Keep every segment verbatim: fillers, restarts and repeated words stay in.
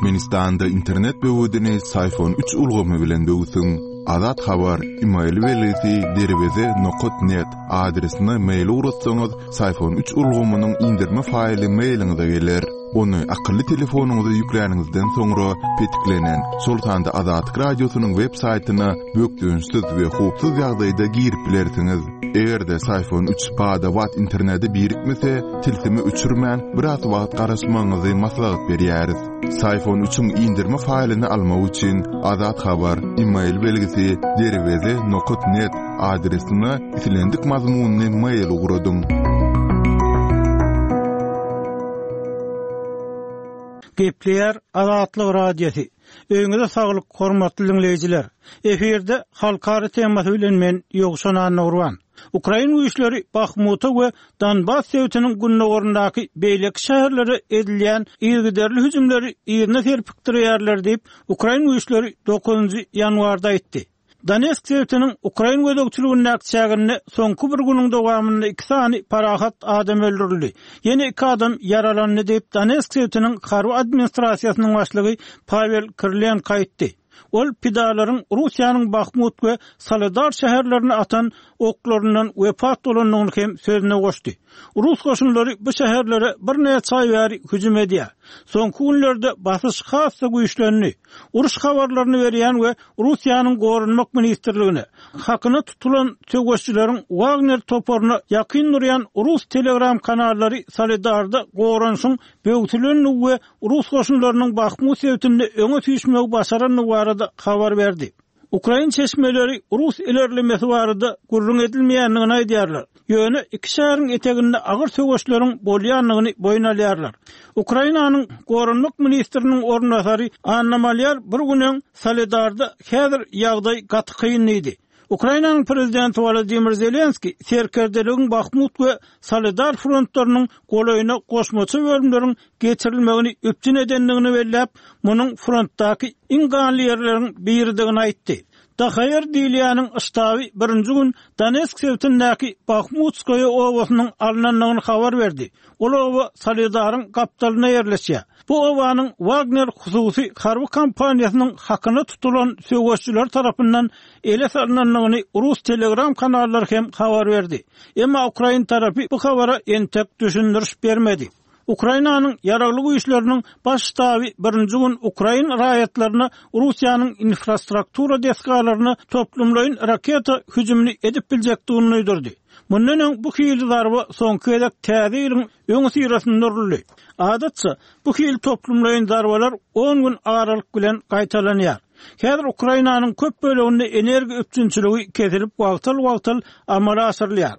Türkmenistanda internet böwedini Syfon üç ulgamy bilen böwsüň. Azat Habar, email belgisi derweze nokat net adresine mail ugratsaňyz, Syfon üç ulgamynyň indirme faýly mailiňize geler. Ony akylly telefonyňyza ýükläniňizden soňra petiklenen, şol sanda Azatlyk radiosynyň web saýtyna bökdençsiz we howpsuz ýagdaýda girip bilersiňiz. Eger-de Syfon üç bada-bat internete birikmese, tilsimi öçürmän biraz wagt garaşmagyňyzy maslahat berýäris. Syfon üçiň indirme faýlyny almak üçin Azat Habar, email belgisi derweze nokat net adresine islendik mazmunyny mail ugradyň. Gepleýär Azatlyk Radiosy. Öýüňize saglyk, hormatly dinleýjiler. Efirde halkara temasy bilen men Ýowşan Annagurban. Ukrain güýçleri Bahmuta we Donbas sebitiniň gündogaryndaky beýleki şäherlere edilýän yzygiderli hüjümleri ýerine serpikdirýärler diýip, Ukrain güýçleri dokuzynjy ýanwarda aýtdy. Donetsk sebitiniň Ukrain gözegçiligindäki çäginde soňky bir günüň dowamynda iki sany parahat adam öldürildi. Ýene iki adam ýaralandy diýip, Donetsk sebitiniň harby administrasiýasynyň başlygy Pavel Kirilenko aýtdy. Ol pidalaryň Russiýanyň Bahmut we Soledar şäherlerine atan oklaryndan wepat bolandygyny hem sözüne goşdy. Rus goşunlary bu şäherlere birnäçe aý bäri hüjüm edýär. Soňky günlerde basyş has-da güýçlendi. Uruş habarlaryny berýän we Russiýanyň Goranmak ministrligine hakyna tutulan söweşçileriň Wagner toparyna ýakyn durýan Rus Telegram kanallary Soledarda goranşyň böwsülenligi we Rus goşunlarynyň Bahmut sebitinde öňe süýşmegi başarandygy barada habar berdi. Ukrain çeşmeleri Rus ilerlemesi barada gürrüň edilmeýändigini aýdýarlar. Ýöne iki şäheriň eteginde agyr söweşleriň bolýandygyny boýun alýarlar. Ukrainanyň Goranmak ministriniň orunbasary Anna Malýar bir gün öň Soledarda häzir ýagdaý gaty kyn diýdi. Ukrainanyň prezidenti Volodymyr Zelenski serkerdeligiň Bahmut we Soledar frontlarynyň golaýyna goşmaça bölümleriň geçirilmegini üpjün edendigini belläp, munuň frontdaky iň ganly ýerleriň biridigini aýtdy. D H R diýilýäniň ştaby birinji gün Donetsk sebitindäki Bahmutskoýa obasynyň alynandygyny habar berdi. Ol oba Soledaryň gapdalynda ýerleşýär. Bu obanyň Wagner hususy harby kompaniýasynyň hakyna tutulan söweşçiler tarapyndan ele salynandygyny Rus Telegram kanallary hem habar berdi. Emma Ukrain tarapy bu habara entek düşündiriş bermedi. Ukrainanyň ýaragly güýçleriniň baş ştaby birinji gün Ukrain raýatlaryna Russiýanyň infrastruktura desgalaryna toplumlaýyn raketa hüjümini edip biljekdigini duýdurdy. Mundan öň bu hili zarba soňky gezek täze ýylyň öňi syrasynda uruldy. Adatça bu hili toplumlaýyn zarbalar on gün aralyk bilen gaýtalanýar. Häzir Ukrainanyň köp böleginde energiýa üpjünçiligi kesilip wagtal-wagtal amala aşyrylýar.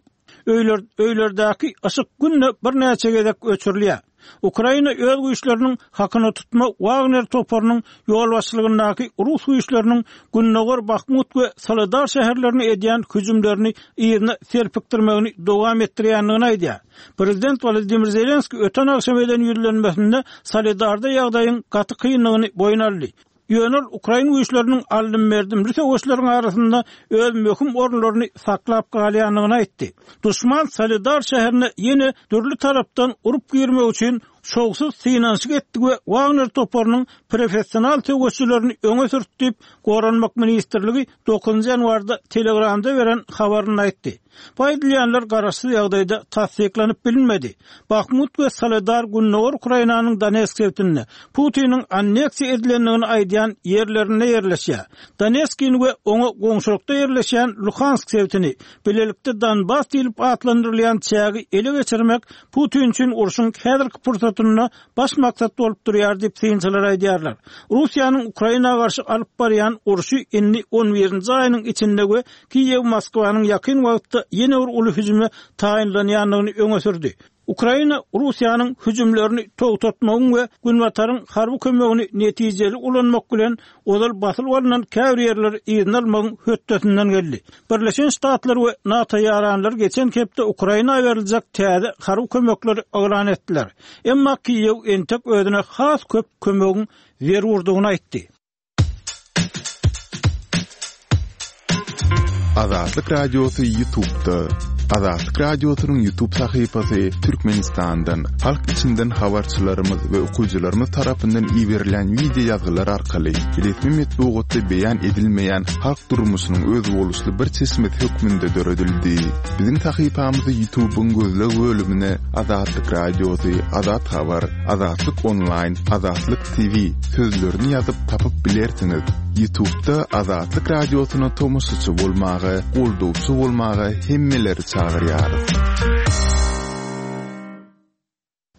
Öýler, öýlerdäki yşyk günde birnäçe gezek öçürilýär. Ukraina öz güýçleriniň hakyna tutma Wagner toparynyň ýolbaşçylygyndaky Rus güýçleriniň Gündogar Bahmut we Soledar şäherlerine edýän hüjümlerini ýerine serpikdirmegini dowam etdirýändigini aýdýar. Prezident Volodymyr Zelenski öten agşam eden ýüzlenmesinde Soledarda ýagdaýyň gaty kynlygyny boýun aldy. Ýöne Ukrain güýçleriniň aldym-berdimli söweşleriň arasynda öz möhüm orunlaryny saklap galýandygyny aýtdy. Duşman Soledar şäherine ýene dürli tarapdan urup girmek üçin şowsuz synanyşyk etdi we Wagner toparynyň professional söweşçilerini öňe sürtdi diýip, Goranmak ministrligi dokuzynjy ýanwarda Telegramda beren habaryny aýtdy. Bu aýdylýanlar garaşsyz ýagdaýda tassyklanyp bilinmedi. Bahmut we Soledar Gündogar Ukrainanyň Donetsk sebitinde Putiniň anneksiýa edilendigini aýdýan ýerlerinde ýerleşýär. Donetskini we oňa goňşulykda ýerleşýän Luhansk sebitini bilelikde Donbas diýlip atlandyrylýan çägi ele geçirmek Putin üçin urşuň häzirki pursatynda baş maksat bolup durýar diýip synçylar aýdýarlar. Russiýanyň Ukraina garşy alyp barýan urşy indi on birinji aýynyň içinde we Kiýew Moskwanyň ýakyn wagtda ýene bir uly hüjüme taýynlanýandygyny öňe sürdi. Ukraina Russiýanyň hüjümlerini togtatmagyň we Günbataryň harby kömegini netijeli ulanmak bilen ozal basylyp alynan käbir ýerleri yzyna almagyň hötdesinden geldi. Birleşen Ştatlar we NATO ýaranlary geçen hepde Ukraina beriljek täze harby kömekleri yglan etdiler. Emma Kiýew entek özüne has köp kömegiň zerurdygyny aýtdy. Azatlyk Radiosy YouTube'da. Azatlyk Radiosynyň YouTube sahypasy Türkmenistandan, halk içinden habarçylarymyz we okyjylarymyz tarapyndan iberilen wideo ýazgylar arkaly resmi metbugatda beýan edilmeýän halk durmuşynyň özboluşly bir çeşmesi hökmünde döredildi. Biziň sahypamyzy YouTube'yň gözleg bölümine Azatlyk Radiosy, Azat Habar, Azatlyk Online, Azatlyk T V sözlerini ýazyp tapyp bilersiňiz. YouTube'da Azatlyk Radiosyna tomaşaçy bolmaga, goldawçy bolmaga hemmeleri çagyrýarys.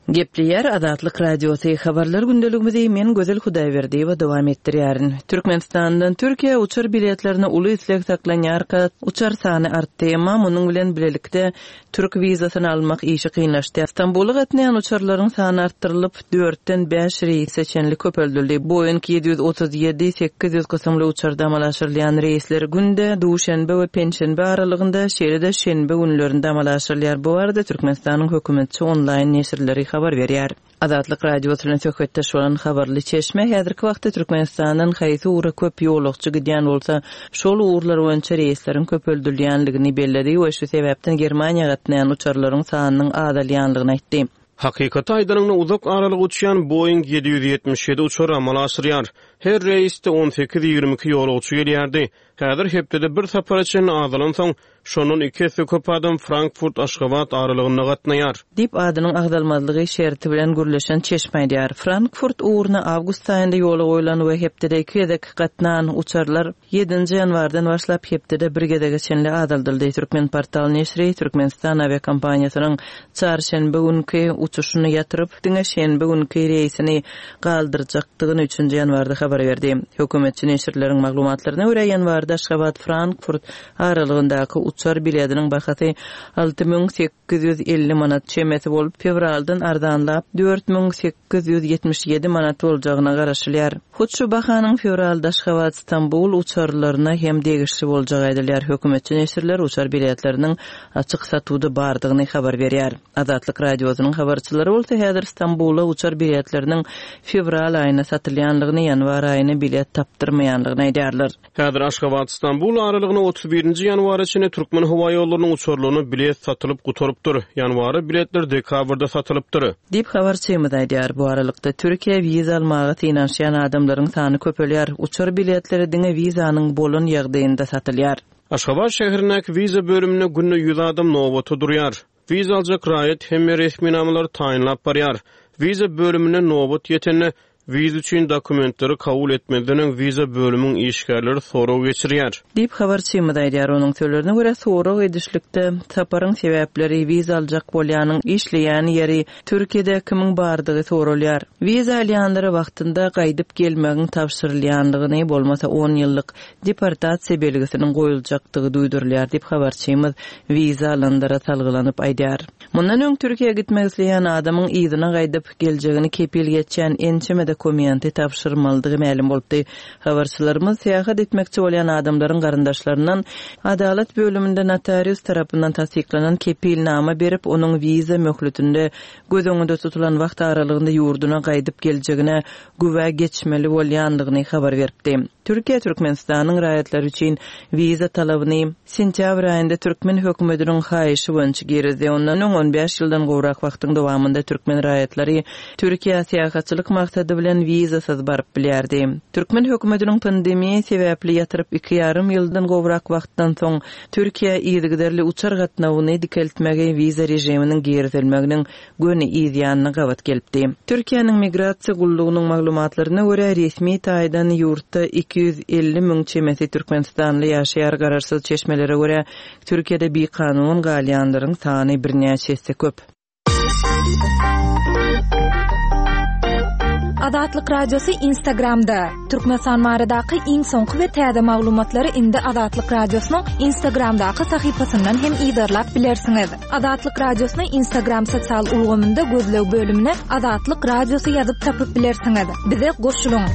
Gepleýär Azatlyk Radiosy, habarlar gündeligimizi men Gözel Hudaýberdiýewa dowam etdirýärin. Türkmenistandan Türkiýä uçar biletlerine uly isleg saklanýarka, uçar sany artdy, emma munuň bilen birlikde türk wizasyny almak işi kynlaşdy. Stambula gatnaýan uçarlaryň sany artdyrylyp, dörtden bäş reýse çenli köpeldildi. Boeing ýedi ýüz otuz ýedi sekiz ýüz kysymly uçarda amala aşyrylýan reýsler günde duşenbe we penşenbe aralygynda, şeýle-de şenbe günlerinde amala aşyrylýar. Bu barada Türkmenistanyň hökümetçi onlaýn neşirleri habar berýär. Azatlyk Radiosy bilen söhbetdeş bolan habarly çeşme häzirki wagtda Türkmenistandan haýsy ugra köp ýolagçy gidýän bolsa, şol ugurlar boýunça reýsleriň köpeldilýänligini belledi we şu sebäpden Germaniýa gatnaýan uçarlaryň sanynyň azalýanlygyny aýtdy. Hakykaty aýdanyňda, uzak aralyk uçýan Boeing ýedi ýüz ýetmiş ýedi uçar amala aşyrýar. Her reýsde on sekiz ýigrimi iki ýolagçy gelýärdi. Häzir hepdede bir sapara çenli azalansoň, şondan iki esse köp adam Frankfurt Aşgabat aralygynda gatnaýar. Diýip, adynyň agzalmazlygy şerti bilen gürleşen çeşme aýdýar. Frankfurt ugruna awgust aýynda ýola goýlan we hepdede iki gezek gatnan uçarlar ýedinji ýanwardan başlap hepdede bir gezege çenli azaldyldy. Türkmen portal neşiri Türkmenistan awiakompaniýasynyň çarşenbe günki uçuşyny ýatyryp, diňe şenbe günki reýsini galdyrjakdygyny üçünji ýanwarda habar berdi. Hökümetçi neşirleriň maglumatlaryna görä, ýanwarda Aşgabat Frankfurt aralygyndaky uçar biletiniň bahasy alty müň sekiz ýüz elli manat çemesi bolup, fewraldan arzanlap dört müň sekiz ýüz ýetmiş ýedi manat boljagyna garaşylýar. Hut şu bahanyň fewralda Aşgabat Stambul uçarlaryna hem degişli boljagy aýdylýar. Hökümetçi neşirler uçar biletleriniň açyk satuwda bardygyny habar berýär. Azatlyk Radiosynyň habarçylary bolsa häzir Stambula uçar biletleriniň fewral aýyna satylýanlygyny, ýanwar aýyna bilet tapdyrmaýanlygyny aýdýarlar. Häzir Aşgabat Stambul aralygyna otuz birinji ýanwara çenli Türkmen howa ýollarynyň uçarlaryna bilet satylyp gutarypdyr. Ýanwara biletler dekabrda satylypdyr. Diýip habarçymyz aýdýar. Bu aralykda Türkiýä wiza almaga synanyşýan adamlaryň sany köpelýär. Uçar biletleri diňe wizanyň bolan ýagdaýynda satylýar. Aşgabat şäherindäki wiza bölüminde günde ýüz adam nobata durýar. Wiza aljak raýat hemme resminamalary taýynlap barýar. Wiza bölümine nobat ýetende, wiza üçin dokumentleri kabul etmezden öň wiza bölümiň işgärleri sorag geçirýär. Diýip habarçymyz aýdýar. Onuň sözlerine görä, sorag edişlikde saparyň sebäpleri, wiza aljak bolýanyň işleýän ýeri, Türkiýede kimiň bardygy sorulýar. Wiza alýanlara wagtynda gaýdyp gelmegiň tabşyrylýanlygyny, bolmasa on ýyllyk deportasiýa belgisiniň goýuljakdygy duýdurylýar diýip habarçymyz wiza alanlara salgylanyp aýdýar. Mundan öň Türkiýä gitmek isleýän adamyň yzyna gaýdyp geljegini kepil geçýän ençeme dokumenti tabşyrmalydygy mälim bolupdy. Habarçylarymyz syýahat etmekçi bolýan adamlaryň garyndaşlaryndan adalat bölüminde notarius tarapyndan tassyklanan kepilnama berip, onuň wiza möhletinde göz öňünde tutulan wagt aralygynda ýurduna gaýdyp geljegine güwä geçmeli bolýanlygyny habar beripdi. Türkiýe Türkmenistanyň raýatlary üçin wiza talabyny sentýabr aýynda türkmen hökümetiniň haýyşy boýunça girizdi. Ondan öň on bäş ýyldan gowrak wagtyň dowamynda türkmen raýatlary Türkiýä syýahatçylyk maksady bilen wizasyz baryp bilýärdi. Türkmen hökümetiniň pandemiýa sebäpli ýatyryp iki ýarym ýyldan gowrak wagtdan soň Türkiýä yzygiderli uçar gatnawyny dikeltmegi wiza režiminiň girizilmeginiň göni yzýanyna gabat gelipdi. Türkiýäniň migrasiýa gullugynyň maglumatlaryna görä, resmi taýdan ýurtda iki ýüz elli müň çemesi türkmenistanly ýaşaýar. Garaşsyz çeşmelere görä, Türkiýede bikanun galýanlaryň sany birnäçe esse köp. Azatlyk Radiosy Instagramda. Türkmenistan baradaky iň soňky we täze maglumatlary indi Azatlyk Radiosynyň Instagramdaky sahypasyndan hem yzarlap bilersiňiz. Azatlyk Radiosyny Instagram sosial ulgamynda gözleg bölümine Azatlyk Radiosy ýazyp tapyp bilersiňiz. Bize goşulyň.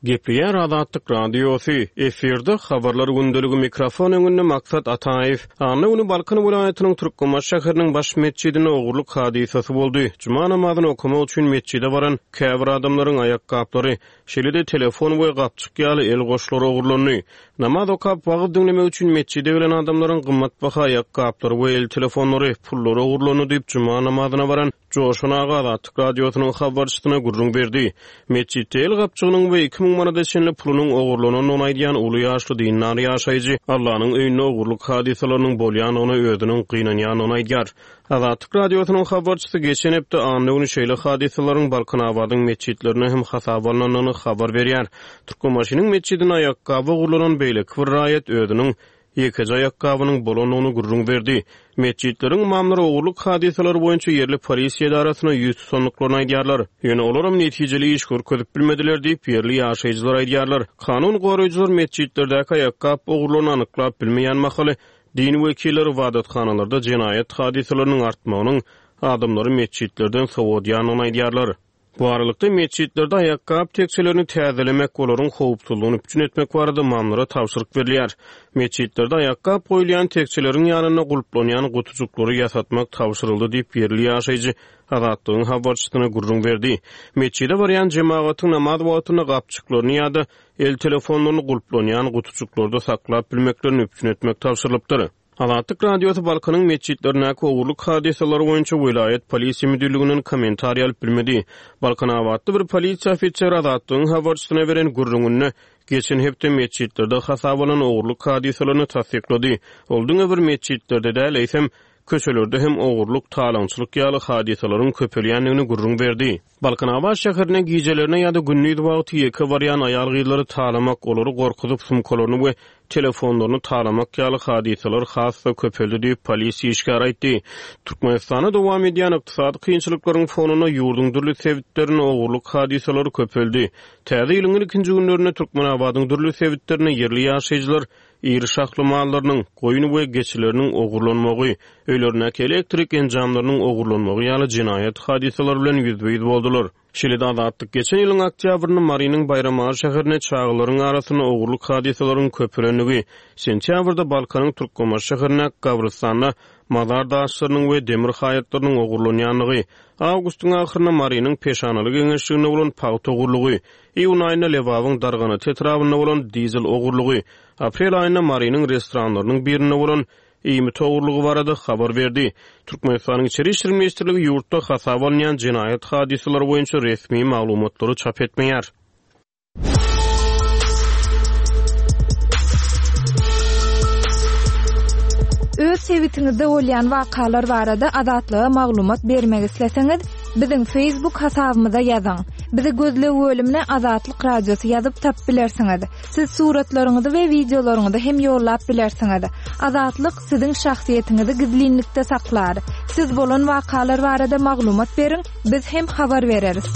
Gepleýär Azatlyk Radiosy, efirde Habarlar gündeligi mikrofon öňünde Maksat Ataýew. Anna güni Balkan welaýatynyň Türkmenbaşy şäheriniň baş metjidinde ogurlyk hadysasy boldy. Juma namazyny okamak üçin metjide baran käbir adamlaryň aýakgaplary, şeýle-de telefon we gapjyk ýaly el goşlary ogurlandy. Namaz okap wagyz diňlemek üçin metjide gelen adamlaryň gymmatbaha aýakgaplary we el telefonlary, pullary ogurlandy diýip juma namazyna baran Joşan aga Azatlyk Radiosynyň habarçysyna gürrüň berdi. Metjitde el gapjygynyň we iki müň manada çenli pulunyň ogurlanandygyny aýdýan uly ýaşly dindar ýaşaýjy Allanyň öýünde ogurlyk hadysalarynyň bolýandygyna özüniň gynanýandygyny aýdýar. Azatlyk Radiosynyň habarçysy geçen hepde anna güni şeýle hadysalaryň Balkanabadyň metjitlerine hem hasaba alnandygyny habar berýär. Türkmenbaşynyň metjidine aýakgaby ogurlanan beýleki bir raýat özüniň ýekeje aýakgabynyň bolandygyny gürrüň berdi. Metjitleriň imamlary ogurlyk hadysalary boýunça ýerli polisiýa edarasyna ýüz tutandyklaryny aýdýarlar. Ýöne olaram netijeli iş görkezip bilmediler diýip, ýerli ýaşaýjylar aýdýarlar. Kanun goraýjylar metjitlerdäki aýakgap ogurlaryny anyklap bilmeýän mahaly din wekilleri ybadathanalarda jenaýat hadysalarynyň artmagynyň adamlary metjitlerden sowadýandygyny aýdýarlar. Bu aralykda metjitlerde aýakgap tekçelerini täzelemek, olaryň howpsuzlygyny üpjün etmek barada imamlara tabşyryk berilýär. Metjitlerde aýakgap goýulýan tekçeleriň ýanynda gulplanýan gutujyklary ýasatmak tabşyryldy diýip ýerli ýaşaýjy Azatlygyň habarçysyna gürrüň berdi. Metjide barýan jemagatyň namaz wagtynda gapjyklaryny ýa-da el telefonlaryny gulplanýan gutujyklarda saklap bilmeklerini üpjün etmek tabşyrylypdyr. Azatlyk Radiosy Balkanyň metjitlerindäki ogurlyk hadysalary boýunça welaýat polisiýa müdirliginden kommentariý alyp bilmedi. Balkanabatly bir polisiýa ofiseri Azatlygyň habarçysyna beren gürrüňinde geçen hepde metjitlerde hasaba alan ogurlyk hadysalaryny tassyklady. Ol diňe bir metjitlerde däl, eýsem köçelerde hem ogurlyk, talaňçylyk ýaly hadysalaryň köpelýändigini gürrüň berdi. Balkanabat şäherine gijelerine ýa-da gündiz wagty ýeke barýan aýal gyzlary talamak, olary gorkuzyp sumkalaryny we telefonlaryny talamak ýaly hadysalar has-da köpeldi diýip polisiýa işgäri aýtdy. Türkmenistanda dowam edýän ykdysady kynçylyklaryň fonunda ýurduň dürli sebitlerinde ogurlyk hadysalary köpeldi. Täze ýylyň ilkinji günlerinde Türkmenabadyň dürli sebitlerinde ýerli ýaşaýjylar iri şahly mallarynyň, goýun we geçileriniň ogurlanmagy, öýlerindäki elektrik enjamlarynyň ogurlanmagy ýaly jenaýat hadysalary bilen ýüzbe-ýüz boldular. Şeýle-de Azatlyk geçen ýylyň oktýabrynda Marynyň Baýramaly şäherinde çagalaryň arasynda ogurlyk hadysalaryň köpelendigi, sentýabrda Balkanyň Türkmenbaşy şäherinde Gabrystanda mazar daşlarynyň we demir haýatlarynyň ogurlanýandygy, awgustyň ahyrynda Marynyň Peşanaly geňeşliginde bolan pagta ogurlygy, iýun aýynda Lebabyň Darganat etrabynda bolan dizel ogurlygy, aprel aýynda Marynyň restoranlarynyň birinde bolan iýmit ogurlygy barada habar berdi. Türkmenistanyň Içeri işler ministrligi ýurtda hasaba alynýan jenaýat hadysalary boýunça resmi maglumatlary çap etmeýär. Öz sebitiňizde bolýan wakalar barada Azatlyga maglumat bermek isleseňiz, biziň Facebook hasabymyza ýazyň. Bizi gözleg bölümine Azatlyk Radiosy ýazyp tap bilersiňiz. Siz suratlaryňyzy we wideolaryňyzy hem ýollap bilersiňiz. Azatlyk siziň şahsyýetiňizi gizlinlikde saklar. Siz bolan wakalar barada maglumat beriň, biz hem habar bereris.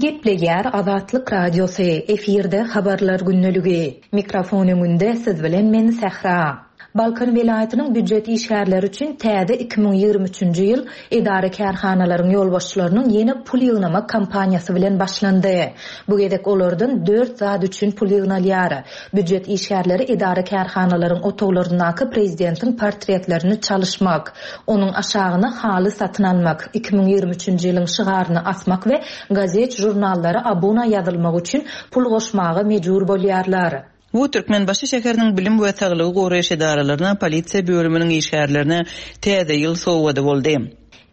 Gepleýär Azatlyk Radiosy, efirde habarlar gündeligi. Mikrofon öňünde siz bilen men Sähra. Balkan welaýatynyň býujet işgärleri üçin täze iki müň ýigrimi üçünji ýyl edara kärhanalaryň ýolbaşçylarynyň ýene pul ýygnamak kampaniýasy bilen başlandy. Bu gezek olardan dört zat üçin pul ýygnalýar. Býujet işgärleri edara kärhanalaryň otaglaryndaky prezidentiň portretlerini çalyşmak, onuň aşagyna haly satyn almak, iki müň ýigrimi üçünji ýylyň şygaryny asmak we gazet žurnallara abuna ýazylmak üçin pul goşmaga mejbur bolýarlar. Bu Türkmenbaşy şäheriniň bilim we saglygy goraýyş edaralaryna, polisiýa bölüminiň işgärlerine täze ýyl sowgady boldy.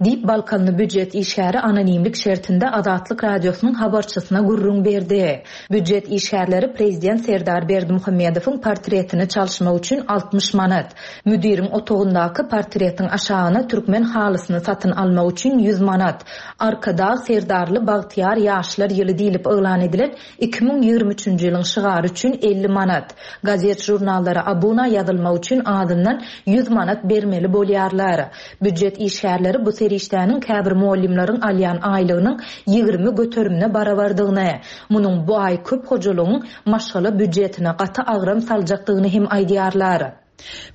Diýip Balkanly býujet işgäri anonimlik şertinde Azatlyk Radiosynyň habarçysyna gürrüň berdi. Býujet işgärleri prezident Serdar Berdimuhamedowyň portretini çalyşmak üçin altmyş manat, müdiriň otagyndaky portretiň aşagyna türkmen halysyny satyn almak üçin ýüz manat, Arkadag Serdarly Bagtyýar ýaşlar ýyly diýlip yglan edilen iki müň ýigrimi üçünji ýylyň şygary üçin elli manat, gazet žurnallara abuna ýazylmak üçin azyndan ýüz manat bermeli bolýarlar. Býujet işgärleri bu serişdäniň käbir muallimleriň alýan aýlygynyň ýigrimi göterimine barabardygyny, munuň bu aý köp hojalygyň maşgala býujetine gaty agram saljakdygyny hem aýdýarlar.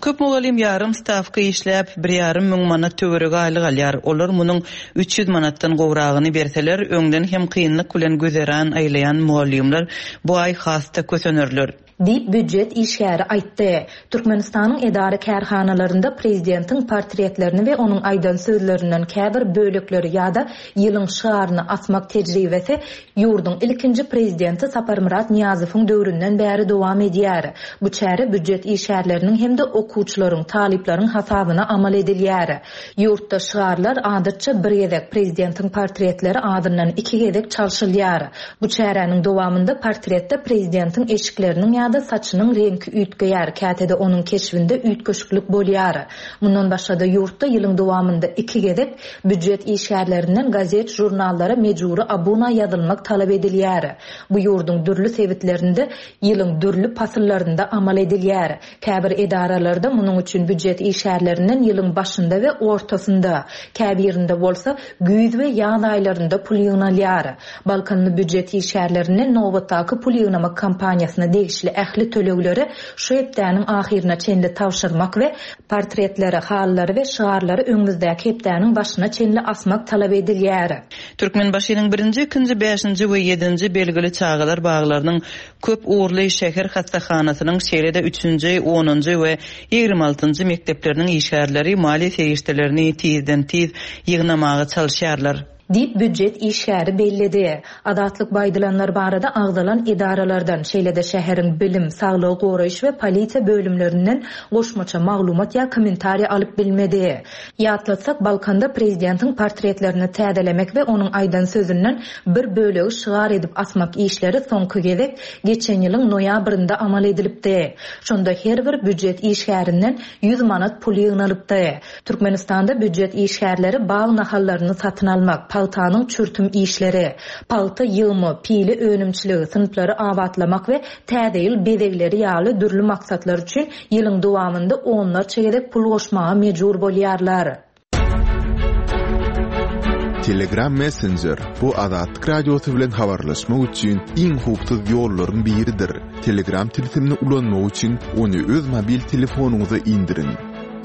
Köp mugallym ýarym stawka işläp, bir ýarym müň manat töweregi aýlyk alýar. Olar munuň üç ýüz manatdan gowragyny berseler, öňden hem kynlyk bilen güzeran aýlaýan mugallymlar bu aý has-da kösenerler. Diýip, býujet işgäri aýtdy. Türkmenistanyň edara-kärhanalarynda prezidentiň portretlerini we onuň aýdan sözlerinden käbir bölekleri ýa-da ýylyň şygaryny asmak tejribesi ýurduň ilkinji prezidenti Saparmyrat Nyýazowyň döwründen bäri dowam edýär. Bu çäre býujet işgärleriniň hem-de okuwçylaryň, talyplaryň hasabyna amal edilýär. Ýurtda şygarlar adatça bir gezek, prezidentiň portretleri azyndan iki gezek çalşylýar. Bu çäräniň dowamynda portretde prezidentiň eşikleriniň ýa-da saçynyň reňki üýtgeýär, käte-de onuň keşbinde üýtgeşiklik bolýar. Mundan başga-da ýurtda ýylyň dowamynda iki gezek býujet işgärlerinden gazet-žurnallara mejbury abuna ýazylmak talap edilýär. Bu ýurduň dürli sebitlerinde ýylyň dürli pasyllarynda amal edilýär. Käbir edaralarda munuň üçin býujet işgärlerinden ýylyň başynda we ortasynda, käbirinde bolsa güýz we ýaz aýlarynda pul ýygnalýar. Balkanly býujet işgärlerinden nobatdaky pul ýygnamak kampaniýasyna degişli ähli tölegleri şu hepdäniň ahyryna çenli tabşyrmak we portretleri, halylary we şygarlary öňümizdäki hepdäniň başyna çenli asmak talap edilýär. Türkmenbaşynyň birinji, ikinji, bäşinji we ýedinji belgili çagalar baglarynyň köp ugurly şäher hassahanasynyň, şeýle-de üçünji, onunjy we ýigrimi altynjy mekdepleriniň işgärleri maliýe serişdelerini tizden-tiz ýygnamaga çalyşýarlar. Diýip, býujet işgäri belledi. Azatlyk bu aýdylanlar barada agzalan edaralardan, şeýle-de şäheriň bilim, saglygy goraýyş we polisiýa bölümlerinden goşmaça maglumat ýa kommentariýa alyp bilmedi. Ýatlatsak, Balkanda prezidentiň portretlerini täzelemek we onuň aýdan sözünden bir bölegi şygar edip asmak işleri soňky gezek geçen ýylyň noýabrynda amal edilipdi. Şonda her bir býujet işgärinden ýüz manat pul ýygnalypdy. Türkmenistanda býujet işgärleri bag nahallaryny satyn almak, pagtanyň çürtüm işleri, pagta ýygymy, pile önümçiligi, synplary abatlamak we täze ýyl bezegleri ýaly dürli maksatlar üçin ýylyň dowamynda onlarça gezek pul goşmaga mejbur bolýarlar. Telegram Messenger bu Azatlyk Radiosy bilen habarlaşmak üçin iň howpsuz ýollaryň biridir. Telegram tilsimini ulanmak üçin ony öz mobil telefonyňyza indiriň.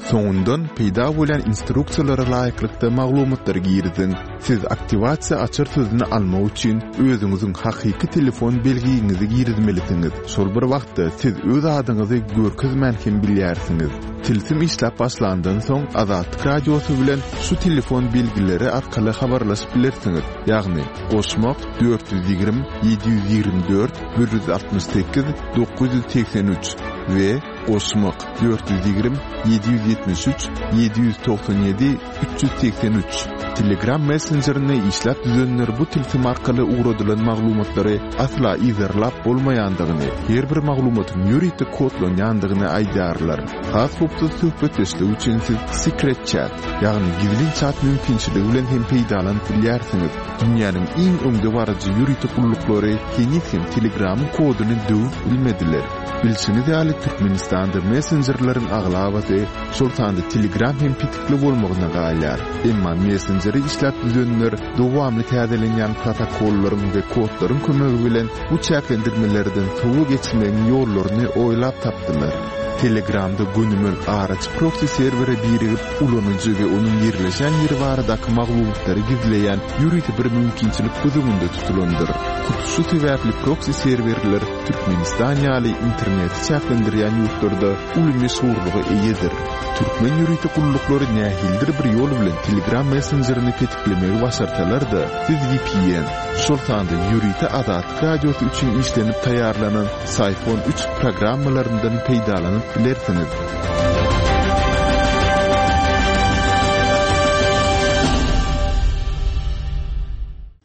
Soňundan peýda bolýan instruksiýalara laýyklykda maglumatlary giriziň. Siz aktiwasiýa açar sözüni almak üçin özüňiziň hakyky telefon belgiňizi girizmelisiňiz. Şol bir wagtda siz öz adyňyzy görkezmän hem bilýärsiňiz. Tilsim işläp başlandan soň Azatlyk Radiosy bilen şu telefon belgileri arkaly habarlaşyp bilersiňiz. Ýagny goşmak dört ýüz ýigrimi ýedi ýüz ýigrimi dört bir ýüz altmyş sekiz dokuz ýüz segsen üç we goşmak dört ýüz ýigrimi ýedi ýüz ýetmiş üç ýedi ýüz togsan ýedi üç ýüz segsen üç. Telegram messenjerini işläp düzenler bu tilsim arkaly ugradylan maglumatlary asla yzarlap bolmaýandygyny, her bir maglumatyň ýörite kodlanýandygyny aýdýarlar. Has howpsuz söhbetdeşlik üçin siz Secret Chat, ýagny gizlin chat mümkinçiligi bilen hem peýdalanyp bilýärsiňiz. Dünýäniň iň öňdebaryjy ýörite gulluklary heniz hem Telegramyň koduny döwüp bilmediler. Bilşiňiz ýaly, Türkmenistanda messenjerleriň aglabasy, şol sanda Telegram hem petikli bolmagyna galýar. Emma messenjeri işläp düzenler dowamly täzelenýän protokollaryň we kodlaryň kömegi bilen bu çäklendirmelerden sowa geçmegiň ýollaryny oýlap tapdylar. Telegramda gönümel araçy proxy serwere birigip, ulanyjy we onuň ýerleşen ýeri baradaky maglumatlary gizleýän ýörite bir mümkinçilik göz öňünde tutulandyr. Hut şu sebäpli proxy serwerler Türkmenistan ýaly interneti çäklendirýän ýurtlarda uly meşhurlyga eýedir. Türkmen ýörite gulluklary nähilidir bir ýol bilen Telegram messenjerini petiklemegi başarsalar-da, siz V P N, şol sanda ýörite Azatlyk Radiosy üçin işlenip taýýarlanan Syphon üç programmalaryndan peýdalanyp bilersiňiz.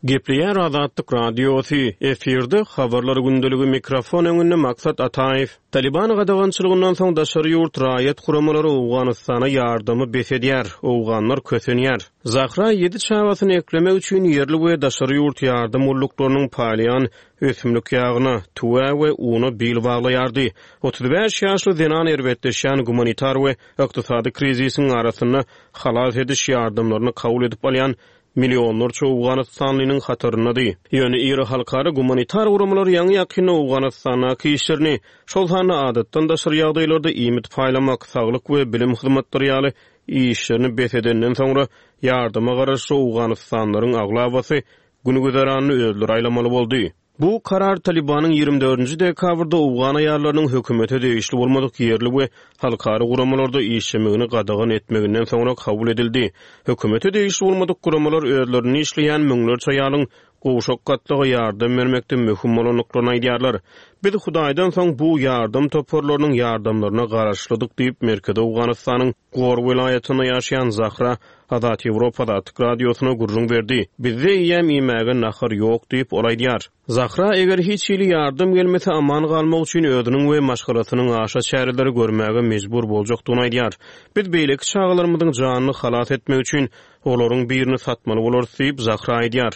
Gepleýär Azatlyk Radiosy, efirde habarlar gündeligi, mikrofon öňünde Maksat Ataýew. Taliban gadagançylygyndan soň daşary ýurt raýat guramalary Owganystana ýardamy bes edýär, Owganlar kösenýär. Zahra ýedi çagasyny eklemek üçin ýerli we daşary ýurt ýardam gulluklarynyň paýlaýan ösümlik ýagyna, tüwä we una bil baglaýardy. Otuz bäş ýaşly zenan erbetleşýän gumanitar we ykdysady krizisiň arasynda halas ediş ýardamlaryny kabul edip alýan millionlarça owganystanlynyň hataryndady. Ýöne iri halkara gumanitar guramalar ýaňy-ýakynda Owganystandaky işlerini, şol sanda adatdan daşary ýagdaýlarda iýmit paýlamak, saglyk we bilim hyzmatlary ýaly işlerini bes edenden soňra, ýardama garaşly owganystanlylaryň aglabasy gün-güzeranyny özleri aýlamaly boldy. Bu karar Talybanyň ýigrimi dördünji dekabrda owgan aýallarynyň hökümete degişli bolmadyk ýerli we halkara guramalarda işlemegini gadagan etmeginden soňra kabul edildi. Hökümete degişli bolmadyk guramalar özlerinde işleýän müňlerçe aýalyň gowşak gatlaga ýardam bermekde möhüm bolandyklaryny aýdýarlar. Biz Hudaýdan soň bu ýardam toparlarynyň ýardamlaryna garaşlydyk diýip, Merkezi Owganystanyň Gor welaýatynda ýaşaýan Zahra Azat Ýewropa Azatlyk Radiosyna gürrüň berdi. Bizde eýýäm iýmäge nahar ýok diýip, ol aýdýar. Zahra eger hiç hili ýardam gelmese aman galmak üçin özüniň we maşgalasynyň aşa çäreleri görmäge mejbur boljakdygyny aýdýar. Biz beýleki çagalarymyzyň janyny halas etmek üçin olaryň birini satmaly bolarys diýip, Zahra aýdýar.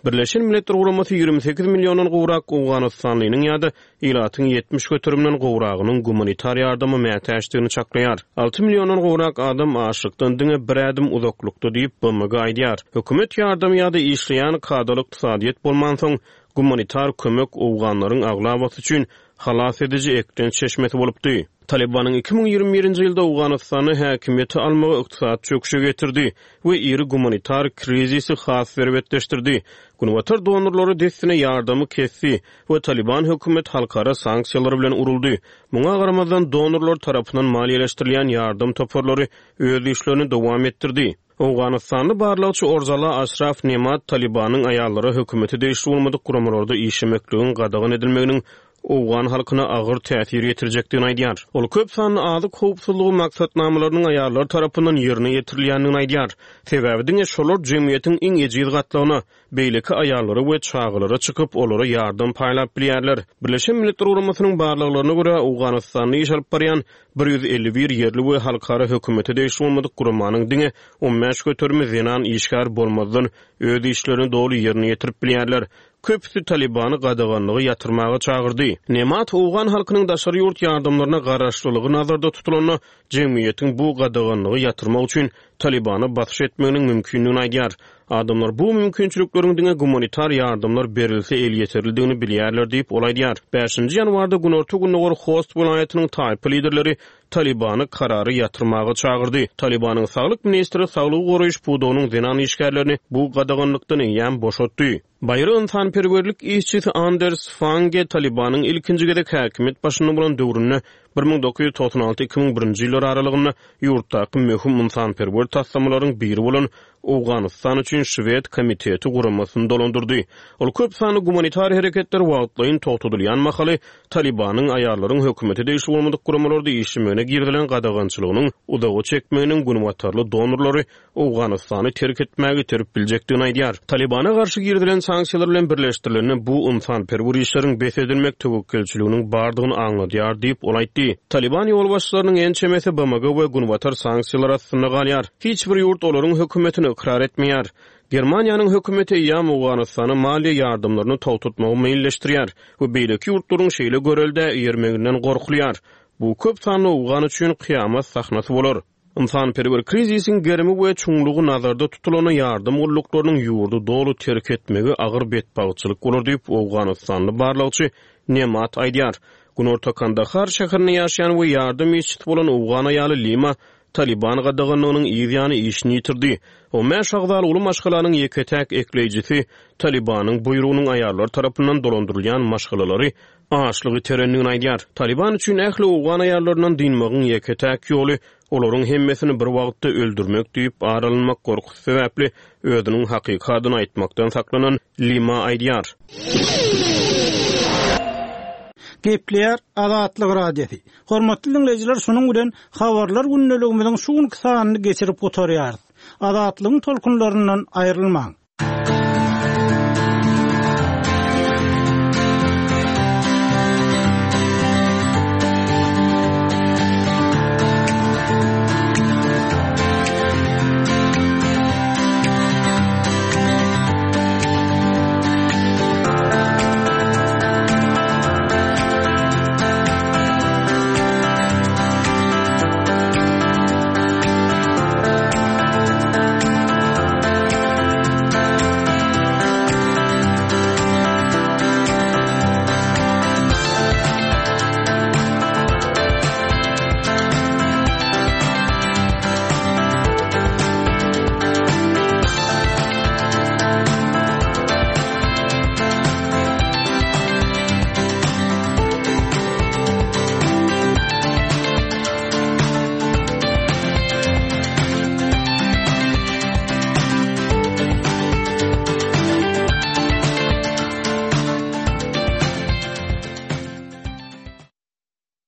Birleşen Milletler Guramasy ýigrimi sekiz milliondan gowrak owganystanlynyň ýa-da ilatyň ýetmiş göterimden gowragynyň gumanitar ýardama mätäçdigini çaklaýar. Alty milliondan gowrak adam açlykdan diňe bir ädim uzaklykda diýip, B M G aýdýar. Hökümet ýardamy ýa-da işleýän kadaly ykdysadyýet bolmansoň, gumanitar kömek owganlaryň aglabasy üçin halas ediji eklenç çeşmesi bolupdy. Talybanyň iki müň ýigrimi birinji ýylda Owganystanda häkimiýeti almagy ykdysady çöküşe getirdi we iri gumanitar krizisi has erbetleşdirdi. Günbatar donorlary dessine ýardamy kesdi we Taliban hökümet halkara sanksiýalary bilen uruldy. Muňa garamazdan donorlar tarapyndan maliýeleşdirilýän ýardam toparlary öz işlerini dowam etdirdi. Owganystanly barlagçy Orzala Aşraf Nemat Talybanyň aýallara hökümete degişli bolmadyk guramalarda işlemekligiň gadagan edilmeginiň owgan halkyna agyr täsir ýetirjekdigini aýdýar. Ol köp sanly azyk howpsuzlygy maksatnamalarynyň aýallar tarapyndan ýerine ýetirilýändigini aýdýar. Sebäbi diňe şolar jemgyýetiň iň ejiz gatlagyna, beýleki aýallara we çagalara çykyp, olara ýardam paýlap bilýärler. Birleşen Milletler Guramasynyň barlaglaryna görä Owganystanda iş alyp barýan bir ýüz elli bir ýerli we halkara hökümete degişli bolmadyk guramanyň diňe on bäş göterimi zenan işgär bolmazdan öz işlerini doly ýerine ýetirip bilýärler. Köpüsi Talybany gadaganlygy ýatyrmaga çagyrdy. Nemat owgan halkynyň daşary ýurt ýardamlaryna garaşlylygy nazarda tutulanda jemgyýetiň bu gadaganlygy ýatyrmak üçin Talybana basyş etmeginiň mümkindigini aýdýar. Adamlar bu mümkinçilikleriň diňe gumanitar ýardamlar berilse elýeterlidigini bilýärler diýip ol aýdýar. Bäşinji ýanwarda Günorta-Gündogar Host welaýatynyň taýpa liderleri Talybany karary ýatyrmaga çagyrdy. Talybanyň saglyk ministri saglygy goraýyş pudagynyň zenan işgärlerini bu gadaganlykdan eýýäm boşatdy. Baýry ynsanperwerlik işçisi Anders Fange Talybanyň ilkinji gezek häkimiýet başynda bolan döwründe bir müň dokuz ýüz togsan alty iki müň birinji ýyllar aralygynda ýurtdaky möhüm ynsanperwer taslamalaryň biri bolan Owganystan üçin Şwed komiteti guramasyny dolandyrdy. Ol köp sanly gumanitar hereketler wagtlaýyn togtadylýan mahaly Talybanyň aýallaryň hökümete degişli bolmadyk guramalarda işlemegine girizilen gadagançylygynyň uzaga çekmeginiň günbatarly donorlary Owganystany terk etmäge iterip biljekdigini aýdýar. Talybana garşy girizilen sanksiýalar bilen birleşdirilende bu ynsanperwer işleriň bes edilmek töwekgelçiliginiň bardygyny aňladýar diýip ol aýtdy. Taliban ýolbaşçylarynyň ençemesi B M G we günbatar sanksiýalar astynda galýar. Hiç bir ýurt olaryň hökümetini ykrar etmeýär. Germaniýanyň hökümeti eýýäm Owganystana maliýe ýardamlaryny togtatmagy meýilleşdirýär we beýleki ýurtlaryň şeýle görelde eýermeginden gorkulýar. Bu köp sanly owgan üçin kyýamat sahnasy bolar. Ynsanperwer krizisiň gerimi we çuňlugy nazarda tutulana ýardam gulluklarynyň ýurdy doly terk etmegi agyr betbagtçylyk bolar diýip Owganystanly barlagçy Nemat aýdýar. Günorta Kandahar şäherinde ýaşaýan we ýardam işçisi bolan owgan aýaly Lima Taliban gadaganlygynyň yz ýany işini ýitirdi. On bäş agzaly uly maşgalanyň ýeke-täk ekleýjisi Talibanyň buýrugynyň aýallar tarapyndan dolandyrylýan maşgalalary açlygy iterendigini aýdýar. Taliban üçin ähli owgan aýallaryndan dynmagyň ýeke-täk ýoly olaryň hemmesini bir wagtda öldürmek diýip ar alynmak gorkusy sebäpli özüniň hakyky adyny aýtmakdan saklanan Lima aýdýar. Gepleýär Azatlyk Radiosy. Hormatly dinleýjiler, şunuň bilen habarlar gündeligimiziň şu günki sanyny geçirip gutarýarys. Azatlygyň tolkunlaryndan aýrylmaň.